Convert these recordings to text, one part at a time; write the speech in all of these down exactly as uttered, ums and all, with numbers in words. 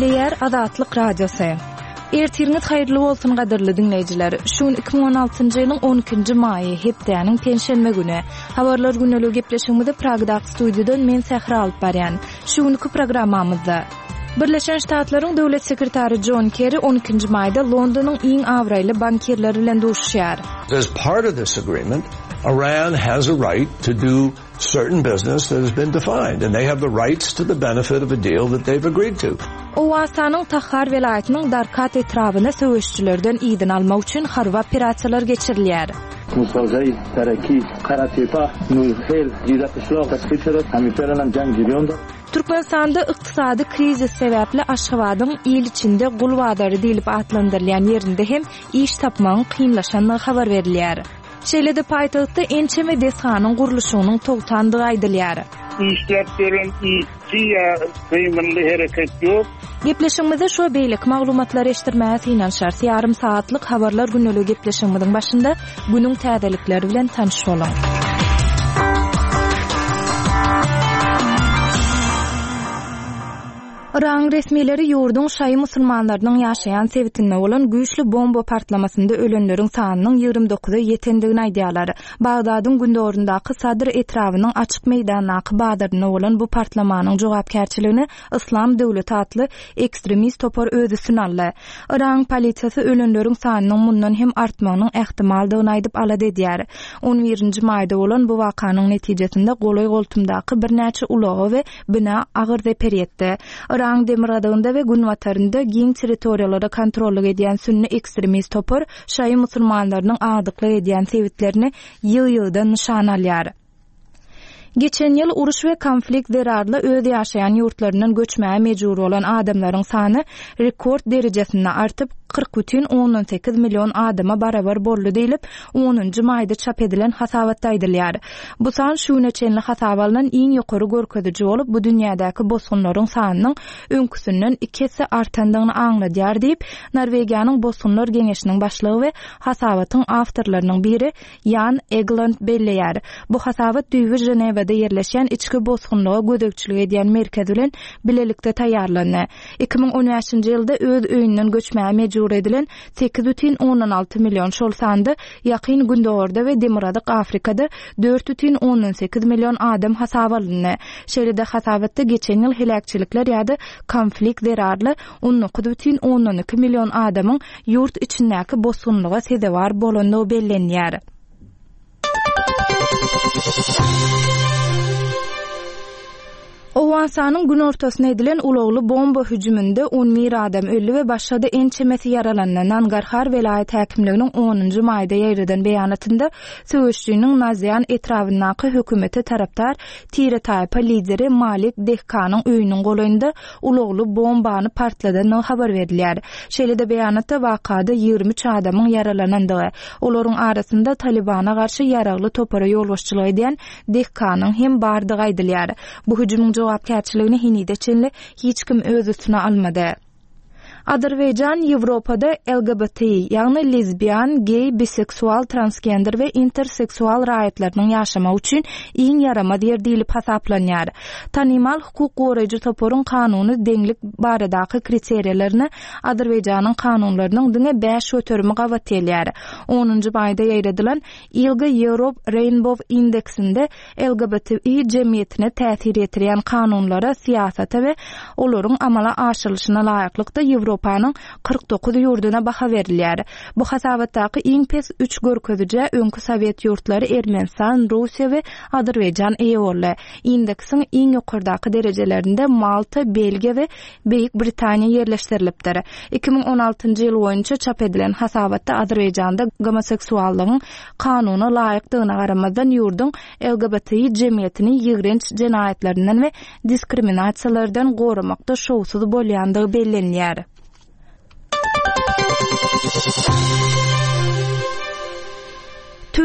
Gepleýär Azatlyk Radiosy. Ertiriňiz haýyrly bolsun gadyrly diňleýjiler. Şu gün iki müň on altynjy ýylyň on ikinji maýy, hepdäniň penşenbe güni. Habarlar günlügi gepleşigimizi Pragdaky studiýadan men Sähra alyp barýan. Şu günki programmamyzda Birleşen Ştatlaryň döwlet sekretary John Kerry on ikinji maýda Londonyň iň abraýly bankirleri bilen duşuşýar. As part of this agreement, Iran has a right to do certain business that has been defined, and they have the rights to the benefit of a deal that they've agreed to. Owganystanyň Tahar welaýatynyň Darkat etrabyna söweşçilerden izin almak üçin harby operasiýalar geçirilýär. Musazay, Taraki, Karatepa, Nurhel, Jizakışlaq, Tasfiçerat, Hamiferanan Jang Jirionda. Türkmenistanda ykdysady krizis sebäpli Aşgabadyň il içinde gul bazary diýlip atlandyrylýan ýerinde hem iş tapmagyň kynlaşandygy habar berilýär. Şeýle-de paýtagtda ençeme desganyň gurluşygynyň togtandygy aýdylýar. Işläp beren işçi ýa gymylly hereket ýok. Gepleşigimizi şu beýleki maglumatlary eşitdirmäge synanyşarys. Ýarym saatlyk habarlar günlügi gepleşigimiziň başynda günüň täzelikleri bilen tanyş boluň. Yragyň resmileri ýurduň şaýy musulmanlarynyň ýaşaýan sebitinde bolan güýçli bomba partlamasynda ölenleriň sanynyň ýigrimi dokuza ýetendigini aýdýarlar. Bagdadyň gündoguryndaky Sadr etrabynyň açyk meýdandaky bazarynda bolan bu partlamanyň jogapkärçiligini Islam döwleti atly ekstremist topar öz üstüne aldy. Yragyň polisiýasy ölenleriň sanynyň mundan hem artmagynyň ähtimaldygyny aýdyp alada edýär. On birinji maýda bolan bu wakanyň netijesinde golaý goltumdaky birnäçe ulaga we bina agyr zeper ýetdi. Yragyň demirgazygynda we günbatarynda giň territoriýalara kontrollyk edýän sünni ekstremist topar şaýy musulmanlarynyň agdyklyk edýän sebitlerini ýygy-ýygydan nyşan alýar. Geçen ýyl uruş we konflikt zerarly öz ýaşaýan ýurtlaryndan göçmäge mejbur bolan adamlaryň sany rekord derejesinde artyp kyrk bütin ondan sekiz million adama barabar boldy diýlip onunjy maýda çap edilen hasabatda aýdylýar. Bu san şu güne çenli hasaba alnan iň ýokary görkeziji bolup, bu dünýädäki bosgunlaryň sanynyň öňküsinden iki esse artandygyny aňladýar diýip, Norwegiýanyň Bosgunlar Geňeşiniň başlygy we hasabatyň awtorlarynyň biri Jan Egeland belleýär. Bu hasabat düýbi Ženewada ýerleşýän içki bosgunlyga gözegçilik edýän merkez bilen bilelikde taýýarlandy. Iki müň on bäşinji ýylda öz öýünden göçmäge mejbur edilen sekiz bütin ondan alty million, şol sanda ýakyn Gündogarda we Demirgazyk Afrikada dört bütin ondan sekiz million adam hasaba alyndy. Şeýle-de hasabatda geçen ýyl heläkçilikler ýa-da konflikt zerarly on dokuz bütin ondan iki million adamyň ýurt içindäki bosgunlyga sezewar bolandygy bellenýär. Owganystanyň günortasyna edilen ulagly bomba hüjüminde on bir adam öldi we başga-da ençemesi ýaralandy. Nangarhar welaýat häkimliginiň onunjy maýda ýaýradan beýanatynda söweşçiniň Nazian etrabyndaky hökümete tarapdar tire-taýpa lideri Malik Dehkanyň öýüniň golaýynda ulagly bombany partladandygy habar berilýär. Şeýle-de beýanatda wakada ýigrimi üç adamyň ýaralanandygy, olaryň arasynda Talibana garşy ýaragly topara ýolbaşçylyk edýän Dehkanyň hem bardygy aýdylýar. Bu hüjümiň jogapkärçiligini henide çenli hiç kim öz üstüne almady. Azerbaýjan Ýewropada L G B T, ýagny lezbiýan, geý, biseksual, transgender we interseksual raýatlarynyň ýaşamagy üçin iň ýaramaz ýer diýlip hasaplanýar. Tanymal hukuk goraýjy toparyň kanuny deňlik baradaky kriteriýalaryny Azerbaýjanyň kanunlarynyň diňe bäş göterimi gabat gelýär. Onunjy maýda ýaýradylan Ilga Europe Rainbow Indeksinde L G B T jemgyýetine täsir ýetirýän kanunlara, syýasata we olaryň amala aşyrylyşyna laýyklykda Ýewropanyň kyrk dokuz ýurduna baha berilýär. Bu hasabatdaky iň pes üç görkezijä öňki Sowet ýurtlary Ermenistan, Russiýa we Azerbaýjan eýe boldy. Indeksiň iň ýokardaky derejelerinde Malta, Belgiýa we Beýik Britaniýa ýerleşdirilipdir. Iki müň on altynjy ýyl boýunça çap edilen hasabatda Azerbaýjanda gomoseksuallygyň kanuna laýykdygyna garamazdan ýurduň L G B T jemgyýetini ýigrenç jenaýatlaryndan we diskriminasiýalardan goramakda şowsuz bolýandygy bellenýär.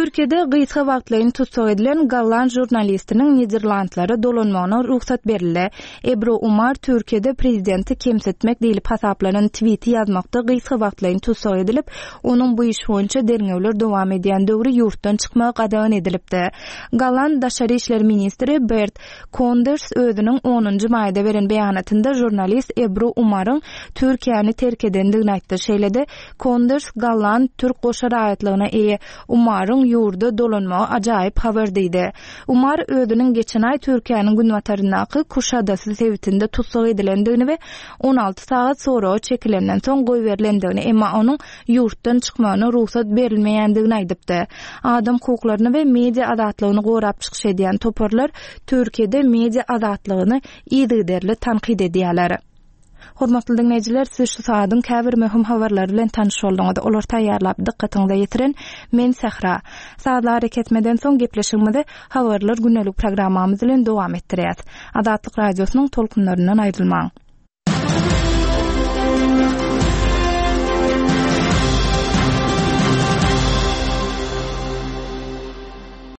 Türkiýede gysga wagtlaýyn tussag edilen golland žurnalistiniň Niderlandlara dolanmagyna rugsat berildi. Ebru Umar Türkiýede prezidenti kemsitmek diýlip hasaplanan twiti ýazmakda gysga wagtlaýyn tussag edilip, onuň bu iş boýunça derňewler dowam edýän döwri ýurtdan çykmagy gadagan edilipdi. Golland daşary işler ministri Bert Konders özüniň onunjy maýda beren beýanatynda žurnalist Ebru Umaryň Türkiýäni terk edendigini aýtdy. Şeýle-de Konders golland türk goşa raýatlygyna eýe Umaryň ýurda dolanmagy ajaýyp habar diýdi. Umar özüniň geçen aý Türkiýäniň günbataryndaky Kuşadasy sebitinde tussag edilendigini we on alty sagat soraga çekilenden soň goýberilendigini, emma onuň ýurtdan çykmagyna rugsat berilmeýändigini aýdypdy. Adam hukuklaryny we media azatlygyny gorap çykyş edýän toparlar Türkiýede media azatlygyny yzygiderli tankyt edýärler. Hormatly diňleýjiler, siz şu saadyň käbir möhüm habarlary bilen tanyş bolduňyz. Olar taýýarlap dykgatyňyza ýetiren men Sähra. Sazly hareketmeden soň gepleşigimizi habarlar gündelik programmamyz bilen dowam etdirýäs. Azatlyk radiosynyň tolkunlaryndan aýrylmaň.